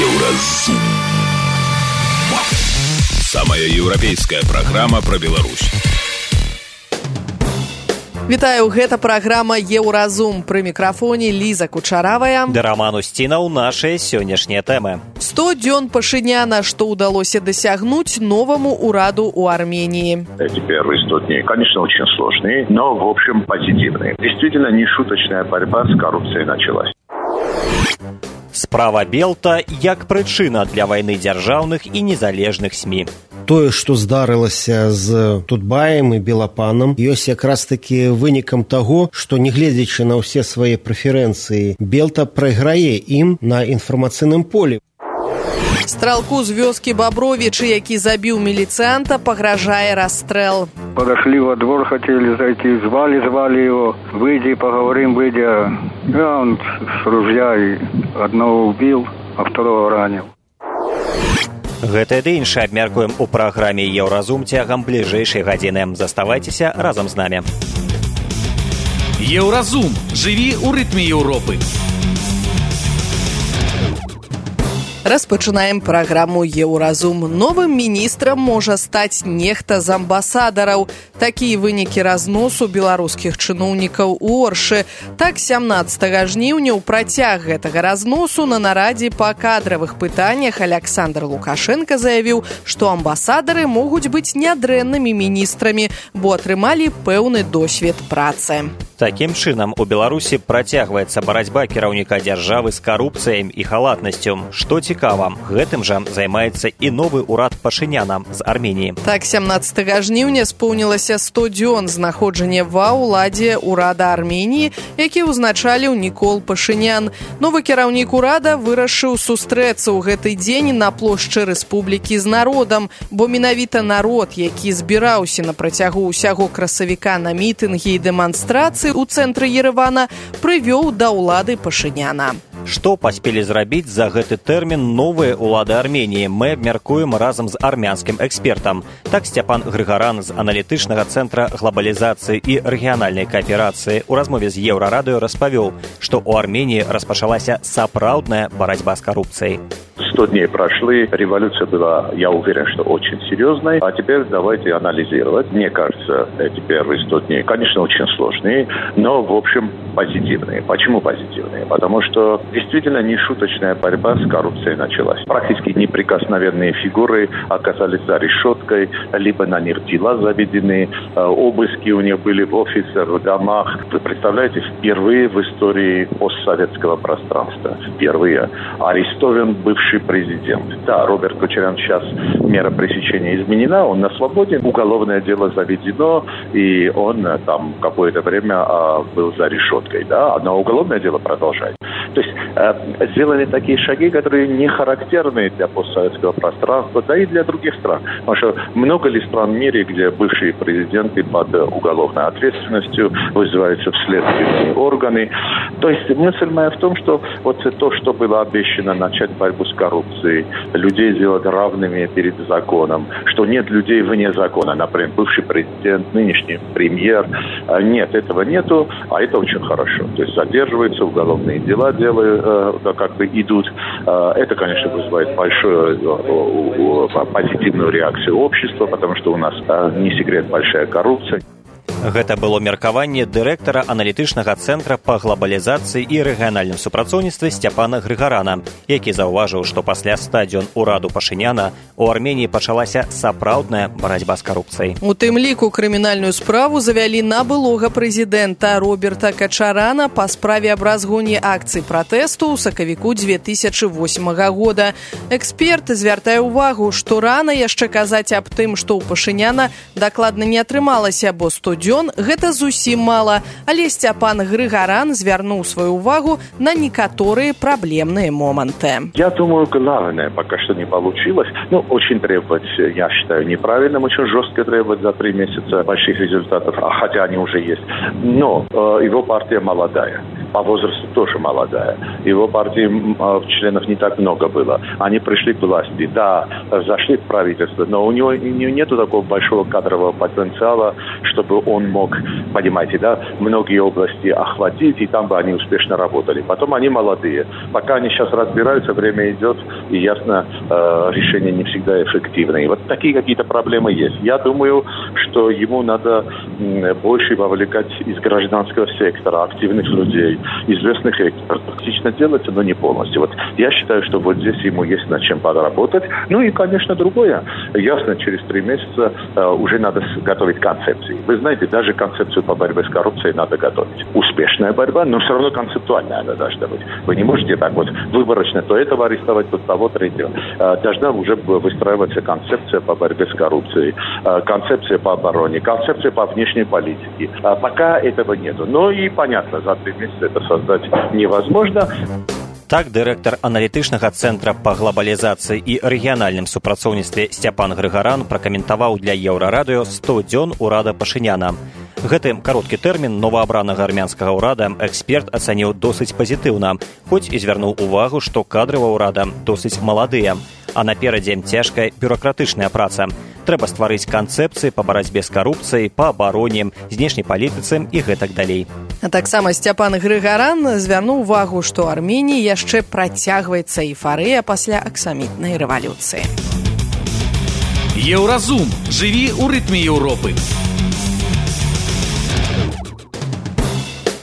Еўразум. Самая еўрапейская праграма пра Беларусь. Вітаю, гэта праграма «Еўразум». Пры мікрафоне Ліза Кучаравая. Да Роман Устінаў нашыя сённяшнія тэмы. 100 дзён Пашиняна, что удалось досягнуть новому ураду у Армении. Эти первые 100 дней, конечно, очень сложные, но, в общем, позитивные. Действительно, нешуточная борьба с коррупцией началась. Справа Белта як прычына для вайны дзяржаўных і незалежных СМІ. Тое, што здарылася з Тутбаем і Белапанам, ёсць якраз такі вынікам таго, што, нягледзячы на ўсе свае прэферэнцыі, Белта прайграе ім на інфармацыйным полі. Стралку з вёскі Бабровічы, які забіў міліцыянта, пагражае расстрэл. Подошли во двор, хотели зайти, звали его, выйди, поговорим, выйди. Он с ружья и одного убил, а второго ранил. Гэта ды іншае абмяркуем у праграме «Еўразум» цягам бліжэйшай гадзіны. Заставайцеся разам з намі. Еўразум. Жыві ў рытме Еўропы. Распачынаем праграму «Еўразум». Новым міністрам можа стаць нехта з амбасадараў. Такія вынікі разносу беларускіх чыноўнікаў у Оршы. Так, 17 жніўня ў працяг гэтага разносу на нарадзе па кадравых пытаннях Александр Лукашенко заявіў, што амбасадары могуць быць нядрэннымі міністрамі, бо атрымалі пэўны досвед працы. Такім чынам, у Беларусі працягваецца барацьба кіраўніка дзяржавы з карупцыяй і халатнасцю. Што цікава, гэтым жа займаецца і новы ўрад Пашиняна з Арменіі. Так, 17 жніўня споўнілася 100 дзён знаходжання ва ўладзе ўрада Арменіі, які ўзначаліў Нікол Пашинян. Новы кіраўнік урада вырашыў сустрэцца ў гэты дзень на плошчы рэспублікі з народам, бо менавіта народ, які збіраўся на працягу ўсяго красавіка на мітынгі і дэманстрацыі у цэнтры Еревана, прывёў да ўлады Пашиняна. Што паспелі зрабіць за гэты тэрмін новыя ўлады Арменіі, мы абмяркуем разам з армянскім экспертам. Так, Степан Грыгаран з аналітычнага цэнтра глобалізацыі і рэгіянальнай кааперацыі ў размове з Еўрарадыё распавёў, што ў Арменіі распачалася сапраўдная барацьба з карупцыяй. 100 дней прошли, революция была, я уверен, что очень серьезной. А теперь давайте анализировать. Мне кажется, эти первые 100 дней, конечно, очень сложные, но, в общем, позитивные. Почему позитивные? Потому что действительно нешуточная борьба с коррупцией началась. Практически неприкосновенные фигуры оказались за решеткой, либо на них дела заведены, обыски у них были в офисах, в домах. Вы представляете, впервые в истории постсоветского пространства, впервые арестован бывший президент. Да, Роберт Кочарян, сейчас мера пресечения изменена, он на свободе, уголовное дело заведено, и он там какое-то время был за решеткой, да, но уголовное дело продолжается. То есть сделаны такие шаги, которые не характерны для постсоветского пространства, да и для других стран. Потому что много ли стран в мире, где бывшие президенты под уголовной ответственностью вызываются в следственные органы. То есть мысль моя в том, что вот то, что было обещано начать борьбу с коррупцией, людей сделать равными перед законом, что нет людей вне закона, например, бывший президент, нынешний премьер, нет, этого нету, а это очень хорошо. То есть задерживаются, уголовные дела как бы идут. Это, конечно, вызывает большую позитивную реакцию общества, потому что у нас, не секрет, большая коррупция. Гэта было меркаванне дырэктара аналітычнага цэнтра па глобалізацыі і рэгіянальным супрацоўніцтве Степана Грыгарана, які заўважыў, што пасля 100 дзён ураду Пашиняна у Арменіі пачалася сапраўдная барацьба з карупцыяй. У тым ліку крымінальную справу завялі на былога прэзідэнта Роберта Качарана па справе аб разгоне акцый пратэсту ў сакавіку 2008 года. Эксперт звяртае ўвагу, што рана яшчэ казаць аб тым, што ў Пашиняна дакладна не атрымалася, бо 100 дзён гэта зусім мала, але Степан Грыгаран звярнуў свою увагу на некаторые проблемные моменты. Я думаю, главное пока что не получилось. Очень требовать, я считаю, неправильным, очень жестко требовать за 3 месяца больших результатов, хотя они уже есть. Но его партия молодая. по возрасту тоже молодая. Его партии членов не так много было. Они пришли к власти, да, зашли в правительство, но у него нету такого большого кадрового потенциала, чтобы он мог, понимаете, да, многие области охватить, и там бы они успешно работали. Потом они молодые. Пока они сейчас разбираются, время идет, и ясно, решения не всегда эффективные. Вот такие какие-то проблемы есть. Я думаю, что ему надо больше вовлекать из гражданского сектора, активных людей, известных экспертов. Частично делается, но не полностью. Вот я считаю, что вот здесь ему есть над чем поработать. Ну и, конечно, другое. Ясно, через 3 месяца уже надо готовить концепции. Вы знаете, даже концепцию по борьбе с коррупцией надо готовить. Успешная борьба, но все равно концептуальная она должна быть. Вы не можете так вот выборочно то этого арестовать, то того, третьего. Должна уже выстраиваться концепция по борьбе с коррупцией, концепция по обороне, концепция по внешней политике. Пока этого нету. Но и понятно, за 3 месяца это создать невозможно. Так, дырэктар аналітычнага цэнтра па глабалізацыі і рэгіянальным супрацоўніцтве Сцяпан Грыгаран пракаментаваў для Еўрарадыё 100 дзён урада Пашыняна. Гэты кароткі тэрмін новаабранага армянскага ўрада эксперт ацаніў досыць пазітыўна, хоць і звярнуў увагу, што кадры ва ўрада досыць маладыя, а наперадзе цяжкая бюракратычная праца. Трэба стварыць канцэпцыі па барацьбе з карупцыяй, па абароне, знешняй палітыцы і гэтак далей. А таксама Сцяпан Грыгаран звярнуў увагу, што Арменіі яшчэ працягваецца эйфарыя пасля аксамітнай рэвалюцыі. Еўразум. Жыві ў рытме Еўропы.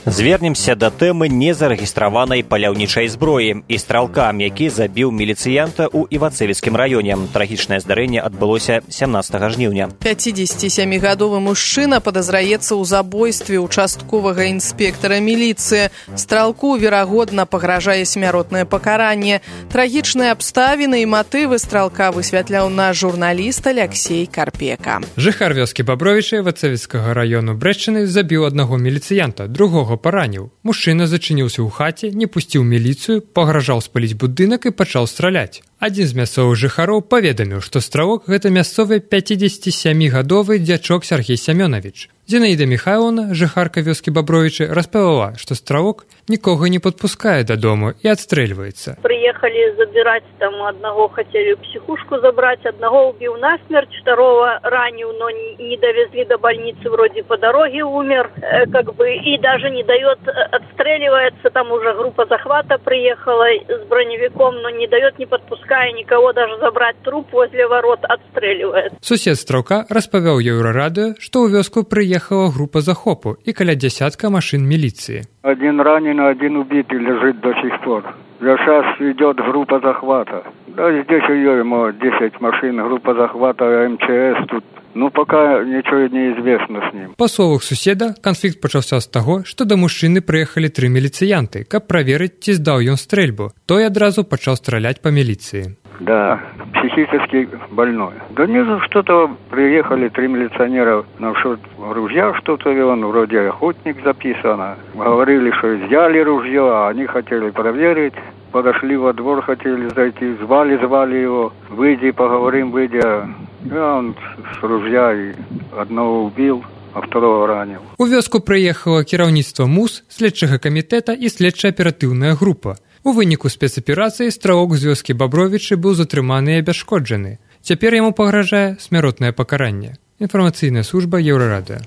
Звернемся да тэмы незарэгістраванай паляўнічай зброі і стралка, які забіў міліцыянта ў Івацевіцкім раёне. Трагічнае здарэнне адбылося 17 жніўня. 57-гадовы мужчына падазраецца ў забойстве участковага інспектара міліцыі. Стралку, верагодна, пагражае смяротнае пакаранне. Трагічныя абставіны і матывы стралка высвятляў наш журналіст Алексей Карпека. Жыхар вёскі Бабровіча Івацевіцкага раёну Брэшчыны забіў аднаго міліцыянта, другога параніў. Мужчына зачыніўся ў хаце, не пусціў міліцыю, пагражаў спаліць будынак і пачаў страляць. Адзін з мясцовых жыхароў паведаміў, што стралок гэта мясцовы 57-гадовы дзячок Сергей Семёнович. Зінаіда Михайловна, жыхарка вёскі Бабровічы, распавяла, што стралок нікога не падпускае дадому і адстрэльваецца. Приехали забирать там одного, хотели в психушку забрать, одного убил насмерть, второго ранил, но не довезли до больницы, вроде по дороге умер, и даже не дает, отстреливается, там уже группа захвата приехала с броневиком, но не дает, не подпуская никого даже забрать труп возле ворот, отстреливает. Сусед стралка распавяў Еўрарадыё, што ў вёску приехала группа захопу и каля десятка машин милиции. Один ранен, один убитый лежит до сих пор. Сейчас идет группа захвата. Да, здесь ее 10 машин, группа захвата, МЧС тут. Ну, пока ничего не известно с ним. Па словах суседа, канфлікт пачаўся з таго, што да мужчыны прыехалі 3 міліцыянты, каб праверыць, ці здаў ён стрэльбу. Той адразу пачаў страляць па міліцыі. Да, психически больной. Да нет, что-то приехали 3 милиционера насчет ружья, что-то он вроде охотник записано. Говорили, что взяли ружье, а они хотели проверить. Подошли во двор, хотели зайти, звали его. Выйди, поговорим, выйдя. Он с ружья и одного убил, а второго ранил. У вёску прыехала кіраўніцтва МУС, следчага камітэта і следча-аператыўная група. У выніку спецаперацыі стралок з вёскі Бабровічы быў затрыманы і абясшкоджаны. Цяпер яму пагражае смяротнае пакаранне. Інфармацыйная служба Еўрарадыё.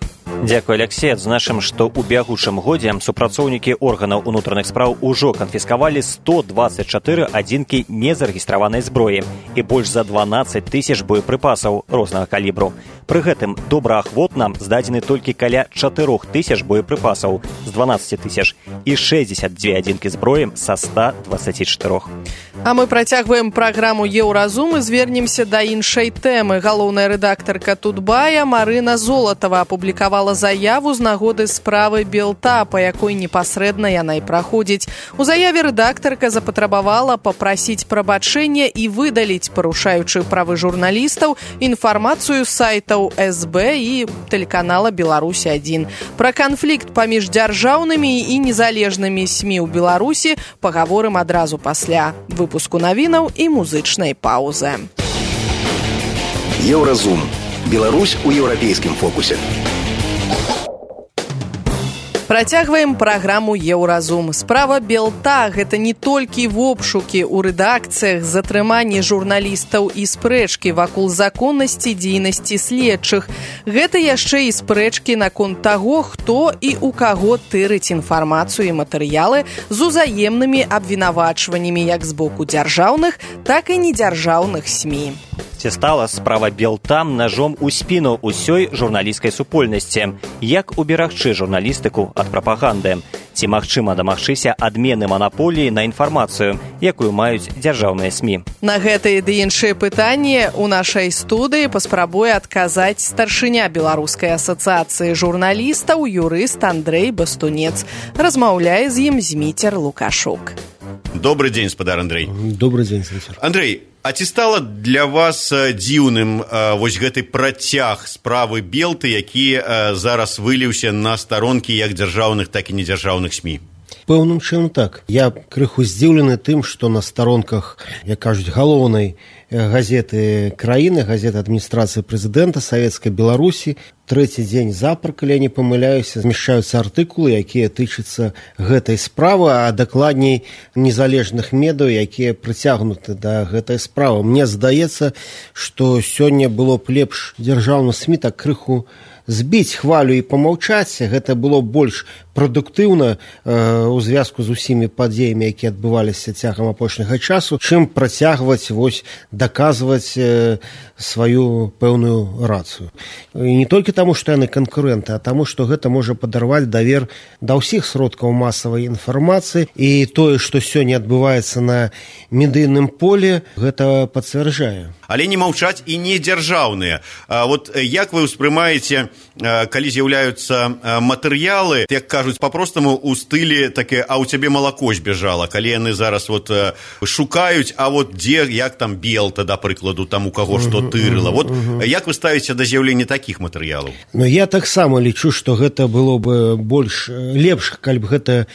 Дзякуй, Алексей. Адзначым, што ў бягучым годзе супрацоўнікі органаў унутраных спраў ужо канфіскавалі 124 адзінкі незарэгістраванай зброі і больш за 12 000 боепрыпасаў рознага калібру. Пры гэтым добраахвотна здадзены толькі каля 4 000 боепрыпасаў з 12 000 і 62 адзінкі зброі са 124. А мы працягваем праграму «Еўразум» і звернемся да іншай тэмы. Галоўная рэдактарка Тутбая Марына Золатава апублікавала заяву з нагоды справы Белта, па якой непасрэдна яна і праходзіць. У заяве рэдактарка запатрабавала папрасіць прабачэння і выдаліць, парушаючы правы журналістаў, інфармацыю з сайтаў СБ і тэлеканала «Беларусь-1». Пра канфлікт паміж дзяржаўнымі і незалежнымі СМІ ў Беларусі пагаворым адразу пасля выпуску навінаў і музычнай паўзы. Еўразум. Беларусь у еўрапейскім фокусе. Працягваем праграму «Еўразум». Справа Белта – гэта не толькі вобшукі ў рэдакцыях, затрыманні журналістаў і спрэчкі вакол законнасці дзейнасці следчых. Гэта яшчэ і спрэчкі наконт таго, хто і ў каго тырыць інфармацыю і матэрыялы з узаемнымі абвінавачваннямі як з боку дзяржаўных, так і недзяржаўных СМІ. Ці стала справа Белта ножом у спіну ўсёй журналісцкай супольнасці? Як уберагчы журналістыку ад прапаганды? Ці магчыма дамагчыся адмены манаполіі на інфармацыю, якую маюць дзяржаўныя СМІ? На гэтыя ды іншыя пытанні ў нашай студыі паспрабуе адказаць старшыня Беларускай асацыяцыі журналістаў юрыст Андрэй Бастунец. Размаўляе з ім Зміцер Лукашук. Добрый день, спадар Андрэй. Добрый день, Зміцер. Андрэй, а ці стала для вас дзіўным вось гэты працяг справы Белты, які зараз выліўся на старонкі як дзяржаўных, так і недзяржаўных СМІ? Пэўным чынам так. Я крыху здзіўлены тым, што на старонках, як кажуць, галоўнай газеты краіны, газеты адміністрацыі прэзідэнта Савецкай Беларусі, трэці дзень запар, калі я не памыляюся, змяшчаюцца артыкулы, якія тычацца гэтай справы, а дакладней незалежных медыяў, якія прыцягнуты да гэтай справы. Мне здаецца, што сёння было б лепш дзяржаўных СМІ так крыху збіць хвалю і памаўчаць. Гэта было больш прадуктыўна ў звязку з усімі падзеямі, якія адбываліся цягам апошняга часу, чым працягваць даказваць сваю пэўную рацыю. І не толькі таму, што яны канкурэнты, а таму, што гэта можа падарваць давер да ўсіх сродкаў масавай інфармацыі, і тое, што сёння адбываецца на медыйным поле, гэта пацвярджае. Але не маўчаць і не дзяржаўныя. Вот як вы ўспрымаеце, калі з'яўляюцца матэрыялы, як кажуць па-простаму у стылі таке, а ў цябе малако збежала, калі яны зараз шукаюць, а дзе, як там Белта, да прыкладу, там у каго што тырыла. Як вы ставіце да з'яўлення такіх матэрыялаў? Я таксама лічу, што гэта было бы лепш, калі б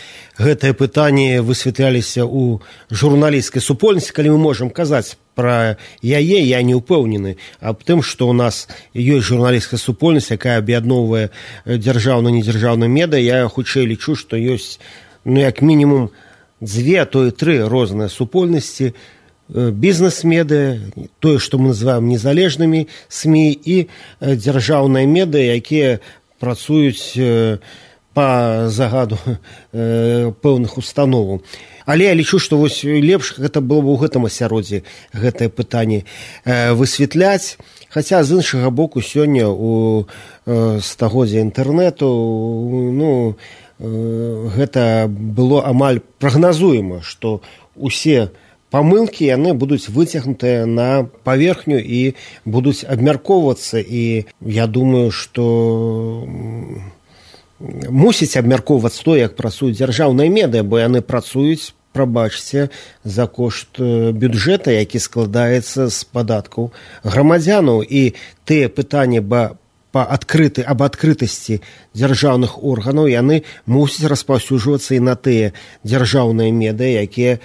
гэтае пытанне высвятляліся ў журналісцкай супольнасці, калі мы можам казаць пра яе, я не ўпэўнены аб тым, што ў нас ёсць журналісцкая супольнасць, якая аб'ядноўвае дзяржаўна-недзяржаўныя медыа. Я хутчэй лічу, што ёсць як мінімум 2, а то і 3 розныя супольнасці: бізнес-медыа, тое, што мы называем незалежнымі СМІ, і дзяржаўныя медыа, якія працуюць па загаду пэўных установаў. Але я лічу, што лепш гэта было б у гэтым асяроддзі гэтае пытанне высвятляць. Хаця, з іншага боку, сёння у стагоддзя інтэрнэту гэта было амаль прагназуема, што усе памылкі яны будуць выцягнутыя на паверхню і будуць абмяркоўвацца. І я думаю, што мусіць абмяркоўвацца то, як працуюць дзяржаўныя медыа, бо яны працуюць, прабачце, за кошт бюджэта, які складаецца з падаткаў грамадзянаў. І тыя пытанні аб адкрытасці дзяржаўных органаў, яны мусяць распаўсюджвацца і на тыя дзяржаўныя медыа, якія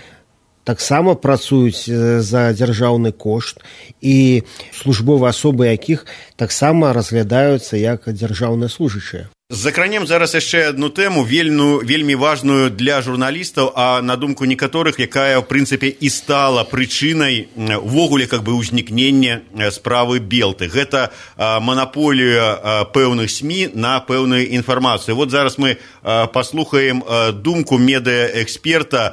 таксама працуюць за дзяржаўны кошт, і службовыя асобы якіх таксама разглядаюцца як дзяржаўныя служачыя. Закранем зараз яшчэ адну тэму, вельмі важную для журналістаў, а на думку некаторых, якая, в прынцыпе, і стала прычынай увогуле ўзнікнення справы Белты. Гэта манаполія пэўных СМІ на пэўную інфармацыю. Зараз мы паслухаем думку медыаэксперта,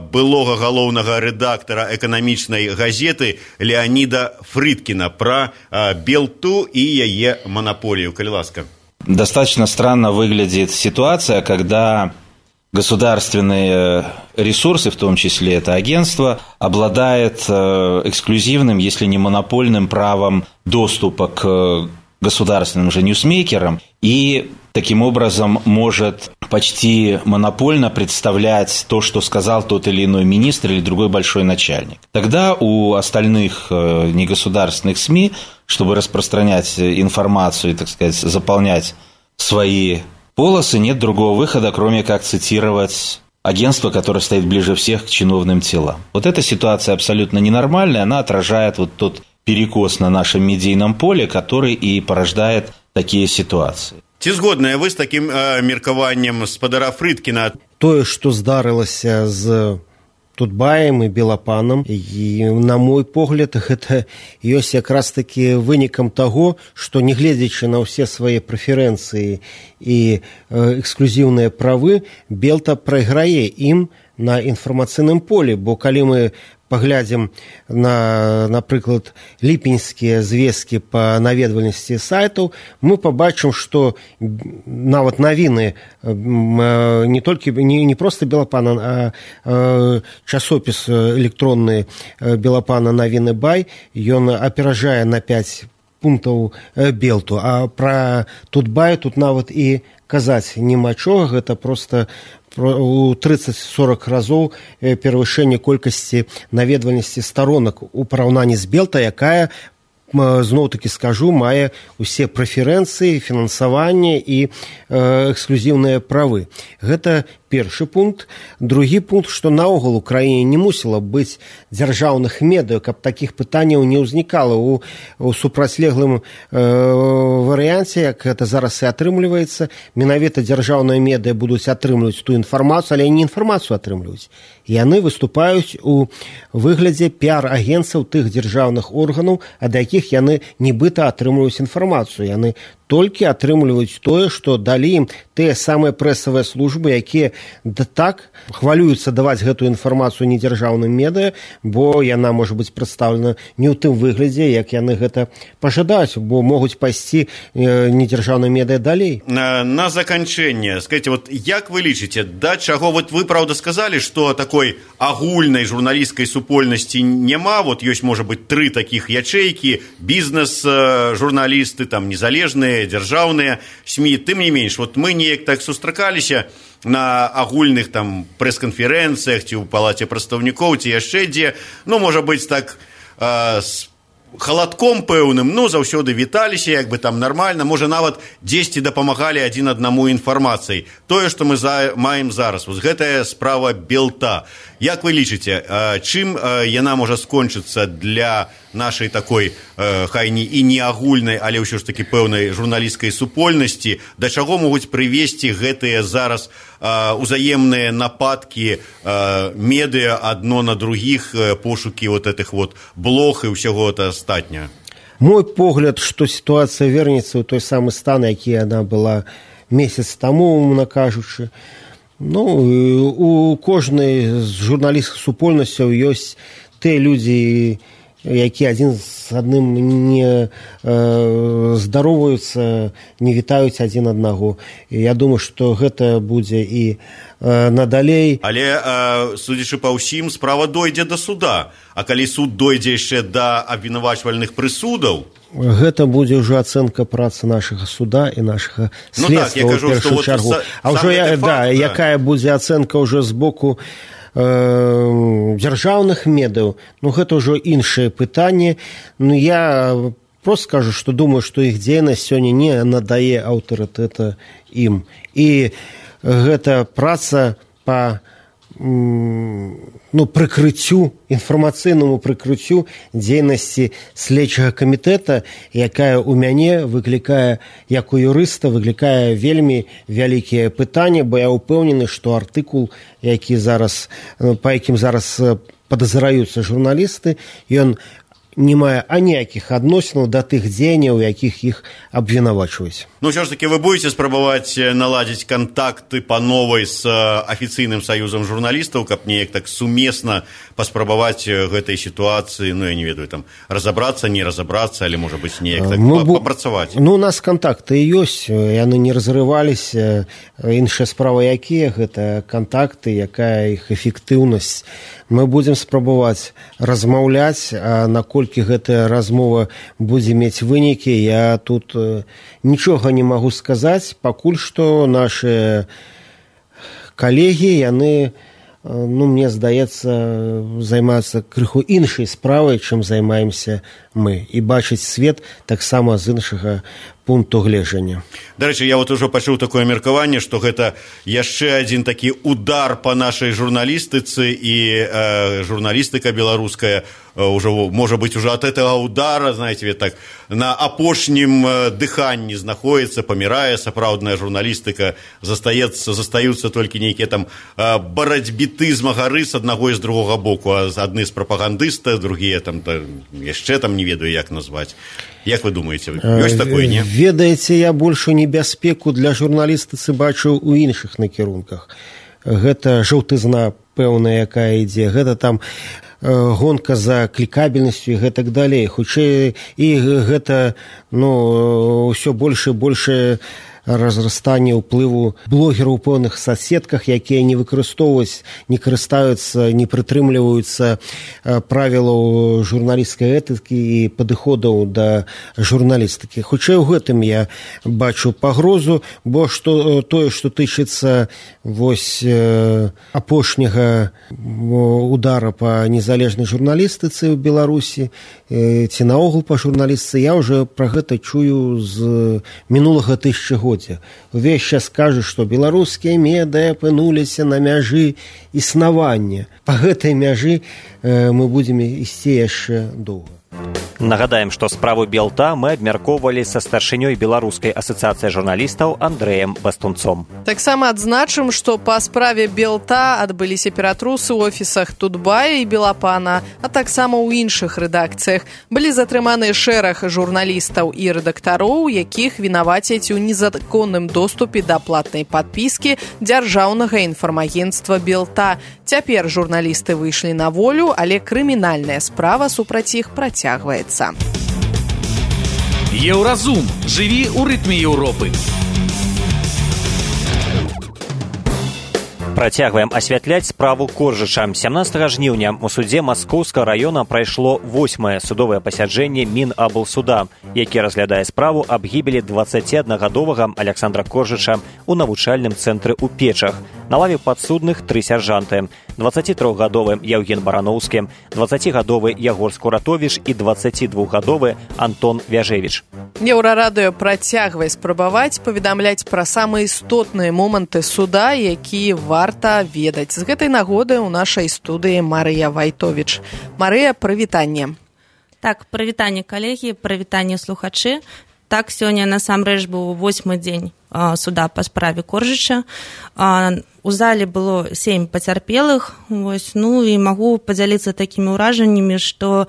былога галоўнага рэдактара эканамічнай газеты Леаніда Фрыдкіна пра Белту і яе манаполію. Калі ласка. Достаточно странно выглядит ситуация, когда государственные ресурсы, в том числе это агентство, обладает эксклюзивным, если не монопольным правом доступа к государственным же ньюсмейкерам и таким образом может почти монопольно представлять то, что сказал тот или иной министр или другой большой начальник. Тогда у остальных негосударственных СМИ, чтобы распространять информацию и, так сказать, заполнять свои полосы, нет другого выхода, кроме как цитировать агентство, которое стоит ближе всех к чиновным телам. Эта ситуация абсолютно ненормальная, она отражает тот перекос на нашем медийном поле, который и порождает такие ситуации. Ці згодныя вы з такім меркаваннем спадара Фрыдкіна? Тое, што здарылася з Тутбаем і Белапанам, і, на мой погляд, гэта ёсць якраз такі вынікам таго, што, нягледзячы на ўсе свае прэферэнцыі і эксклюзіўныя правы, Белта прайграе ім на інфармацыйным полі, бо калі мы паглядзім на, напрыклад, ліпеньскія звесткі па наведвальнасці сайтаў, мы пабачым, што нават навіны не толькі не проста Белапана, а часопіс электронны Белапана навіны Бай, ён аперажае на 5 пунктаў Белту, а пра Тутбай тут нават і казаць няма чого, гэта проста у 30-40 разоў перавышэнне колькасці наведвальнасці старонак у параўнанні з Белта, якая, зноў-такі скажу, мае усе прэферэнцыі, фінансаванне і эксклюзіўныя правы. Гэта першы пункт. Другі пункт, што наогул у краіне не мусіла быць дзяржаўных медыа, каб такіх пытанняў не ўзнікала у супрацьлеглым варыянце, як гэта зараз і атрымліваецца. Менавіта дзяржаўныя медыа будуць атрымліваць ту інфармацыю, але не інфармацыю атрымліваюць. Яны выступаюць у выглядзе піар-агенцаў тых дзяржаўных органаў, ад якіх яны нібыта атрымліваюць інфармацыю. Яны толькі атрымліваюць тое, што далі ім тыя самыя прэсавыя службы, якія так хвалююцца даваць гэтую інфармацыю недзяржаўным медыа, бо яна можа быць прадстаўлена не ў тым выглядзе, як яны гэта пажадаюць, бо могуць пайсці недзяржаўныя медыа далей. На заканчэнне, скажите, вот як вы лічыце, да чаго, вот вы, правда, сказалі, што такой агульнай журналісцкай супольнасці няма, вот ёсць, можа быць, 3 такіх ячэйкі, бізнес-журналісты, там, незалежныя, дзяржаўныя СМІ, тым не менш, вот мы неяк так сустракаліся на агульных там прэс-канферэнцыях ці ў палаце прадстаўнікоў, ці яшчэ дзе, ну, можа быць, так з халадком пэўным, ну, заўсёды віталіся, як бы там нармальна, можа, нават дзесьці дапамагалі адзін аднаму інфармацыяй. Тое, што мы маем зараз, вось гэтая справа Белта. Як вы лічыце, чым яна можа скончыцца для нашай такой, хай і не агульнай, але ўсё ж такі пэўнай журналісцкай супольнасці, да чаго могуць прывесці гэтыя зараз узаемныя нападкі медыа адно на другіх, пошукі вот этих вот блог і ўсяго астатняга? Мой погляд, што сітуацыя вернецца ў той самы стан, які яна была месяц таму, умоўна кажучы. Ну, у кожнай з журналісцкіх супольнасцяў ёсць тыя людзі, якія адзін з адным не здароваюцца, не вітаюць адзін аднаго. І я думаю, што гэта будзе і надалей. Але, судзячы па ўсім, справа дойдзе да суда. А калі суд дойдзе яшчэ да абвінавачвальных прысудаў, гэта будзе ўжо ацэнка працы нашага суда і нашага следства ў першую чаргу. А ўжо якая будзе ацэнка ўжо з боку дзяржаўных медыяў, ну гэта ўжо іншае пытанне. Ну я просто скажу, што думаю, што іх дзейнасць сёння не надае аўтарытэта ім. І гэта праца па прыкрыццю, інфармацыйнаму прыкрыццю дзейнасці следчага камітэта, якая ў мяне выклікае, як у юрыста, выклікае вельмі вялікія пытанні, бо я ўпэўнены, што артыкул, які зараз, па якім зараз падазраюцца журналісты, ён не мае аніякіх адносінаў да тых дзеянняў, якіх іх абвінавачваюць. Ну, ўсё ж таки, вы будете спрабаваць наладзіць кантакты па новай з афіцыйным саюзам журналістаў, каб неяк так сумесна паспрабаваць гэтай сітуацыі, ну, я не ведаю, там, разабрацца, не разабрацца, але, можа быць, неяк так папрацаваць? Ну, у нас кантакты ёсць, яны не разрываліся. Іншая справа якія, гэта кантакты, якая іх эфектыўнасць. Мы будзем спрабаваць размаўляць, а наколькі гэтая размова будзе мець вынікі, я тут нічога не магу сказаць. Пакуль што нашы калегі, яны, ну, мне здаецца, займаюцца крыху іншай справай, чым займаемся мы. І бачыць свет таксама з іншага пункту гледжання. Дарэчы, я вот ужо пачуў такое меркаванне, што гэта яшчэ адзін такі удар па нашай журналістыцы, і журналістыка беларуская ўжо, можа быць, ужо ад гэтага удара, знаете, так, на апошнім дыханні знаходіцца, памірае сапраўдная журналістыка, застаюцца толькі нейкія там барацьбіты змагары з аднаго і з другога боку, а адны з прапагандыста, другія там яшчэ там не ведаю, як назваць. Як вы думаеце, ёсць такое, не? Ведаеце, я большую небяспеку для журналістыцы бачу ў іншых накірунках. Гэта жаўтызна пэўная, якая ідзе, гэта там гонка за клікабельнасцю і гэтак далей. Хутчэй, і гэта, ўсё больш і больш разрастанне ўплыву блогераў у пэўных соцсетках, якія не выкарыстоўваюць, не карыстаюцца, не прытрымліваюцца правілаў журналісцкай этыкі і падыходаў да журналістыкі. Хутчэй у гэтым я бачу пагрозу, бо тое, што тычыцца апошняга удара па незалежнай журналістыцы ў Беларусі ці наогул па журналістыцы, я ўжо пра гэта чую з мінулага тысячагоддзя. Увесь час кажуць, што беларускія медыя апынуліся на мяжы існавання. Па гэтай мяжы мы будзем ісці яшчэ доўга. Нагадаем, што справу Белта мы абмяркоўвалі са старшынёй Беларускай асацыяцыі журналістаў Андрэем Бастунцом. Таксама адзначым, што па справе Белта адбыліся ператрусы ў офісах Тутбая і Белапана, а таксама ў іншых рэдакцыях. Былі затрыманы шэраг журналістаў і рэдактароў, якіх вінавацяць у незаконным доступе да платнай падпіскі дзяржаўнага інфармагенцтва Белта. Цяпер журналісты выйшлі на волю, але крымінальная справа супраць іх працягваецца. Еўразум. Жыві ў рытме Еўропы. Працягваем асвятляць справу Коржыча. 17 жніўня у судзе Маскоўскага раёна прайшло 8-е судовае пасяджэнне Мінаблсуда, які разглядае справу аб гібелі 21-гадовага Аляксандра Коржыча у навучальным цэнтры ў Печах. На лаве падсудных 3 сяржанты: 23-гадовы Яўген Барановскі, 20-гадовы Ягор Скуратовіч і 22-гадовы Антон Вяжевіч. Еўрарадыё працягвае спрабаваць паведамляць пра самыя істотныя моманты суда, якія варта ведаць. З гэтай нагоды ў нашай студыі Марыя Вайтовіч. Марыя, прывітанне. Так, прывітанне, калегі, прывітанне, слухачы. Так, сёння насамрэч быў 8-й дзень суда па справе Коржыча. У зале было 7 пацярпелых. І магу падзяліцца такімі ўражаннямі, што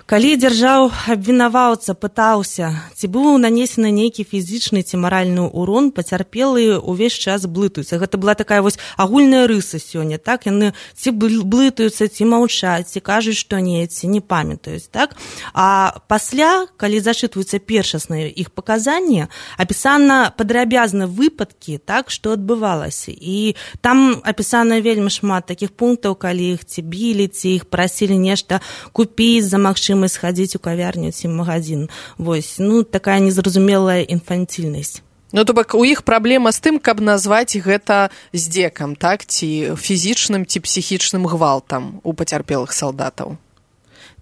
калі дзяржаў абвінаваўца пытаўся, ці быў нанесены нейкі фізічны ці маральны ўрон, пацярпелыя ўвесь час блытаюцца. Гэта была такая агульная рыса сёння, так? Яны ці блытаюцца, ці маўчаць, ці кажуць, што не, ці не памятаюць, так? А пасля, калі зачытваюцца першасныя іх паказанні, апісана падрабязна выпадкі, так, што адбывалася. І там апісана вельмі шмат такіх пунктаў, калі іх ці білі, ці іх прасілі нешта купіць за магчымасць схадзіць у кавярню ці магазин. Такая незразумелая інфанцільнасць. То бок у іх праблема з тым, каб назваць гэта здзекам, так, ці фізічным, ці псіхічным гвалтам у пацярпелых салдатаў.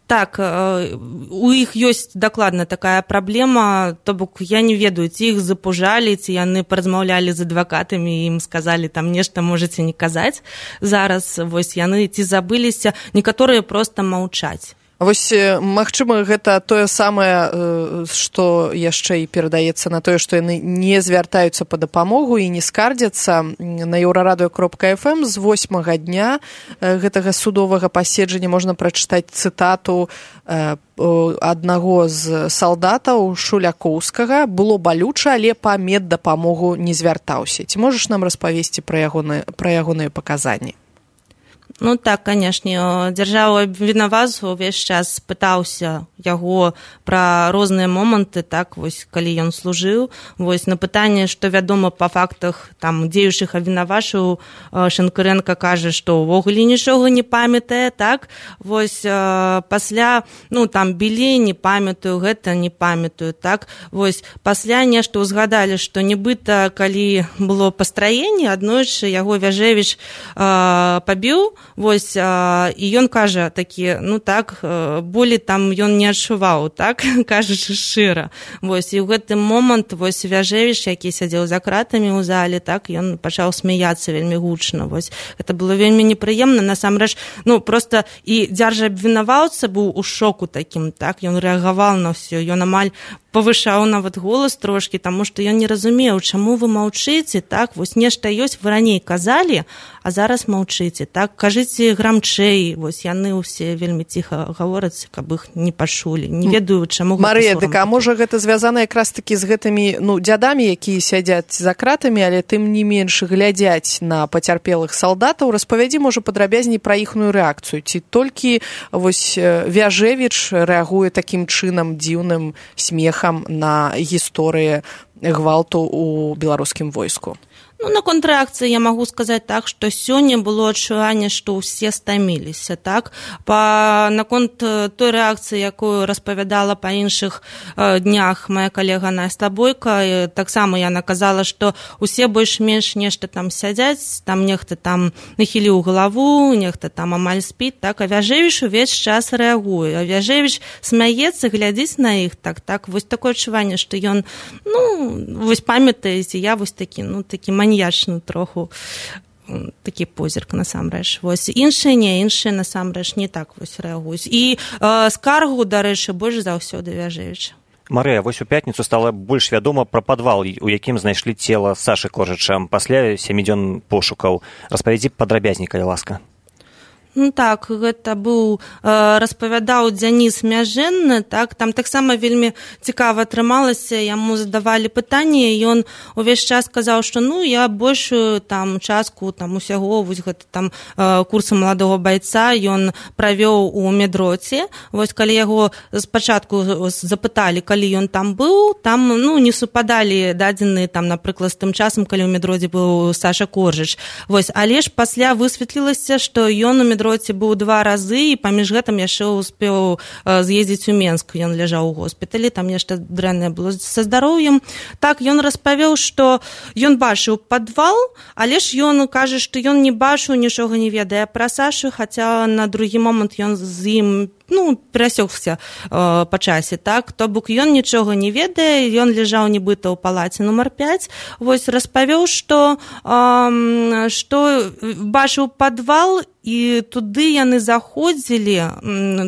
Так, у іх ёсць дакладна такая праблема, то бок я не ведаю, ці іх запужалі, ці яны паразмаўлялі з адвакатамі і ім сказалі, там нешта можаце не казаць. Зараз яны ці забыліся, некаторыя проста маўчаць. Магчыма, гэта тое самае, што яшчэ і перадаецца на тое, што яны не звяртаюцца па дапамогу і не скардзяцца. На еўрарадыё.фм з 8-га дня гэтага судовага паседжання можна прачытаць цытату аднаго з салдатаў Шулякоўскага. Было балюча, але па меддапамогу не звяртаўся. Ці можаш нам распавесці пра ягоныя паказанні? Так, канешне, дзяржава абвінаваўца ўвесь час пытаўся яго пра розныя моманты, так, калі ён служыў. На пытанне, што вядома па фактах дзеючых абвінавачаў, Шэнкарэнка кажа, што ўвогуле нічога не памятае, так. Пасля, білі, не памятаю, гэта не памятаю, так. Пасля нешта ўзгадалі, што нібыта, калі было пастраенне, аднойчы яго Вяжевіч пабіў, вось, і ён кажа такі, ну так, болі там ён не адчуваў, так, кажучы шчыра. Вось, і ў гэты момант, вось, Вяжевіч, які сядзеў за кратамі ў зале, так, ён пачаў смяяцца вельмі гучна, вось. Гэта было вельмі непрыемна, насамрэч, ну, проста і дзяржабвінаваўца быў у шоку такім, так, ён рэагаваў на ўсё, ён амаль павышаў нават голас трошкі, таму што ён не разумеў, чаму вы маўчыце, так, вось нешта ёсць, вы раней казалі, а зараз маўчыце, так, кажыце грамчэй, вось яны ўсе вельмі ціха гавораць, каб іх не пачулі, не ведаю, чаму гэта Марыя, дык, а можа гэта звязана якраз такі з гэтымі, ну, дзядамі, якія сядзяць за кратамі, але тым не менш глядзяць на пацярпелых салдатаў, распавядзі, можа, падрабязней пра іхную рэакцыю, ці толькі, вось, Вяжевіч рэагуе такім чынам дзіўным смехам на гісторыі гвалту ў беларускім войску? Ну, на контррэакцыі я магу сказаць так, што сёння было адчуванне, што ўсе стаміліся, так? Наконт той рэакцыі, якую распавядала па іншых днях моя калега Настя Бойка, таксама яна казала, што ўсе больш-менш нешта там сядзяць, там нехта там нахіліў галаву, нехта там амаль спіць, так? А Вяжевіч увесь час рэагуе. А Вяжевіч смяецца, глядзіць на іх, так? Вось такое адчуванне, што ён, ну, вось памятаеце, я вось такі, ну, такі маньячны троху такі позірк насамрэч. Вось іншыя насамрэч не так вось рэагуюць. І скаргу, дарэчы, больш заўсёды Вяжевіча. Марыя, вось у пятніцу стала больш вядома пра падвал, у якім знайшлі цела Сашы Коржыча пасля 7 дзён пошукаў. Распавядзі падрабязней, калі ласка. Ну так, гэта быў, распавядаў Дзяніс Мяжэнны, так, там таксама вельмі цікава атрымалася, яму задавалі пытанні, і ён увесь час казаў, што ну, я большую там частку там усяго, вось гэта там курсы маладога байца ён правёў у медроце. Вось калі яго спачатку запыталі, калі ён там быў, там, ну, не супадалі дадзеныя там, напрыклад, з тым часам, калі ў медроце быў Саша Коржыч. Вось, але ж пасля высветлілася, што ён у медроце быў 2 разы, і паміж гэтым яшчэ успеў з'ездзіць у Менск. Ён ляжаў у госпіталі, там нешта дрэннае было са здароўем. Так, ён распавёў, што ён бачыў падвал, але ж ён кажа, што ён не бачыў, нічога не ведае пра Сашу, хаця на другі момант ён з ім, ну, перасёкся па часе, так? То бок ён нічога не ведае, ён ляжаў нібыта ў палаце нумар 5. Вось распавёў, што бачыў падвал, і туды яны заходзілі,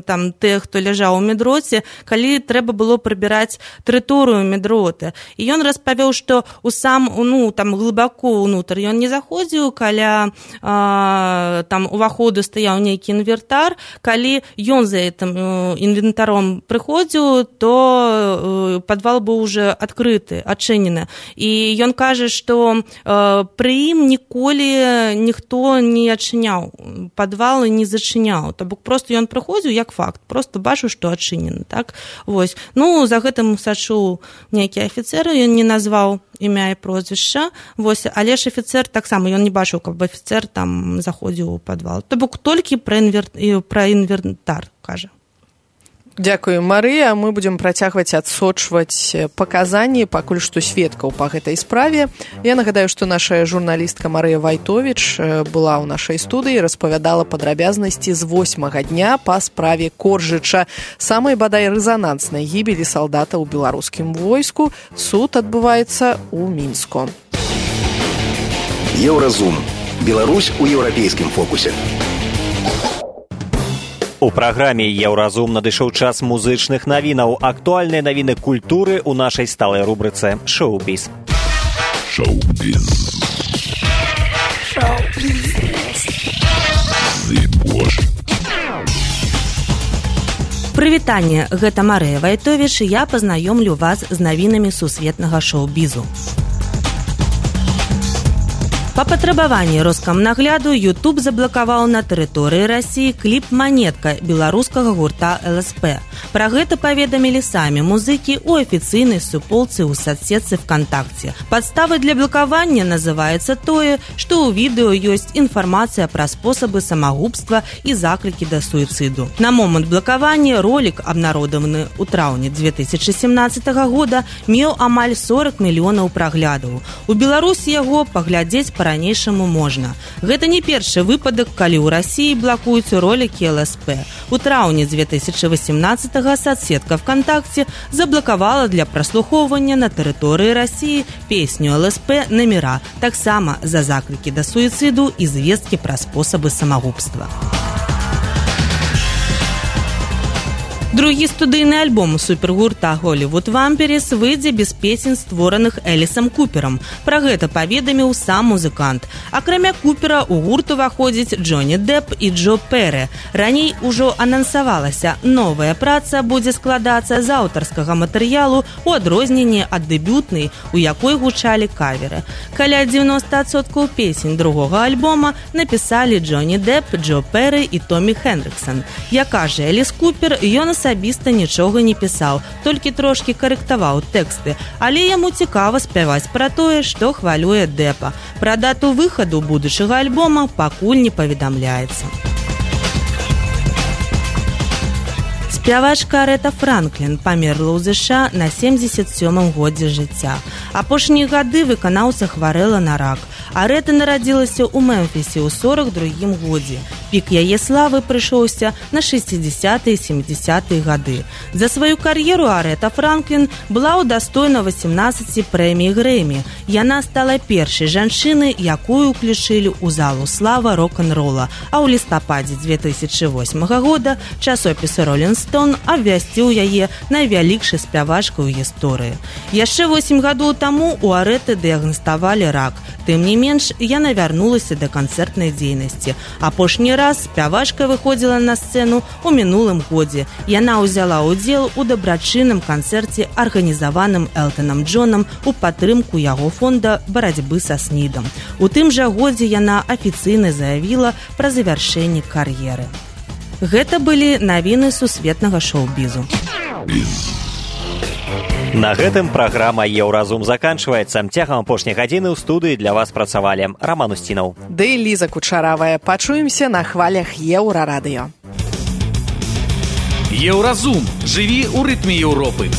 там, тыя, хто ляжаў у медроце, калі трэба было прыбіраць тэрыторыю медроты. І ён распавёў, што у сам, ну, там, глыбако ўнутр ён не заходзіў, каля там уваходу стаяў нейкі інвентар, калі ён за гэтым інвентаром прыходзіў, то падвал быў уже адкрыты, адчынены. І ён кажа, што пры ім ніколі ніхто не адчыняў падвал і не зачыняў. То бок проста ён прыходзіў як факт, проста бачыў, што адчынены, так? Вось. Ну, за гэтым сачыў нейкі афіцэр, ён не назваў імя і прозвішча, вось, але ж афіцэр таксама, ён не бачыў, каб афіцэр там заходзіў у падвал. То бок толькі пра інвентар, кажа. Дзякую, Марыя. Мы будзем працягваць адсочваць паказанні пакуль што сведкаў па гэтай справе. Я нагадаю, што наша журналістка Марыя Вайтовіч была ў нашай студыі, распавядала падрабязнасці з 8-га дня па справе Коржыча, самай бадай рэзананснай гібелі салдата ў беларускім войску. Суд адбываецца ў Мінску. Еўразум. Беларусь у еўрапейскім фокусе. У праграме «Еўразум» надышоў час музычных навінаў. Актуальныя навіны культуры ў нашай сталай рубрыцы «Шоу-біз». Шоу-біз. Прывітанне, гэта Марыя Вайтовіч, і я пазнаёмлю вас з навінамі сусветнага шоу-бізу. Па патрабаванні Роскамнагляду YouTube заблакаваў на тэрыторыі Расіі кліп «Манетка» беларускага гурта ЛСП. Пра гэта паведамілі самі музыкі ў афіцыйнай суполцы ў садсетцы ВКонтакце. Падставай для блакавання называецца тое, што ў відэо ёсць інфармацыя пра спосабы самагубства і заклікі да суіцыду. На момант блакавання ролік, абнародаваны ў траўні 2017 года, меў амаль 40 мільёнаў праглядаў. У Беларусі яго паглядзець па па-ранейшаму можна. Гэта не першы выпадак, калі ў Расіі блакуюць ролікі ЛСП. У траўні 2018-го соцсетка ВКонтакте заблакавала для праслухоўвання на тэрыторыі Расіі песню ЛСП «Номера», таксама за заклікі да суіцыду і звесткі пра спосабы самагубства. Другі студыйны альбом супергурта «Голливуд Вампірс» выйдзе без песень, створаных Элісам Куперам. Пра гэта паведаміў сам музыкант. Акрамя Купера у гурт уваходзіць Джонні Депп і Джо Перри. Раней ужо анансавалася, новая праца будзе складацца з аўтарскага матэрыялу у адрозненні ад дэбютнай, у якой гучалі каверы. Каля 90% песень другога альбома напісалі Джонні Депп, Джо Перри і Томі Хендриксон. Як кажа Эліс Купер, ён асабіста нічога не пісаў, толькі трошкі карэктаваў тэксты, але яму цікава спяваць пра тое, што хвалюе Деппа. Пра дату выхаду будучага альбома пакуль не паведамляецца. Спявачка Арэта Франклін памерла ў ЗША на 77-м годзе жыцця. Апошнія гады выканаўца хварэла на рак. Арэта нарадзілася ў Мемфісе ў 42-м годзе. Пік яе славы прыйшоўся на 60-е і 70-е гады. За сваю кар'еру Арэта Франклін была ўдастойна 18 прэмій Грэмі. Яна стала першай жанчынай, якую ўключылі ў залу слава рок-н-рола, а ў лістападзе 2008 года часопіс «Роллинг Стоун» абвясціў яе найвялікшай спявачкай у гісторыі. Яшчэ 8 гадоў таму у Арэты дыягнаставалі рак. Тым не менш, яна вярнулася да канцэртнай дзейнасці. Апошні раз спявачка выходзіла на сцэну ў мінулым годзе. Яна ўзяла ўдзел у дабрачынным канцэрце, арганізаваным Элтанам Джонам у падтрымку яго фонда барацьбы са СНІДам. У тым жа годзе яна афіцыйна заявіла пра завяршэнне кар'еры. Гэта былі навіны сусветнага шоу-бізу. На гэтым праграма «Еўразум» заканчваецца. Цягам апошняй гадзіны ў студыі для вас працавалі Роман Устінаў. Ды Ліза Кучаравая. Пачуемся на хвалях Еўрарадыё. Еўразум. Жыві ў рытме Еўропы.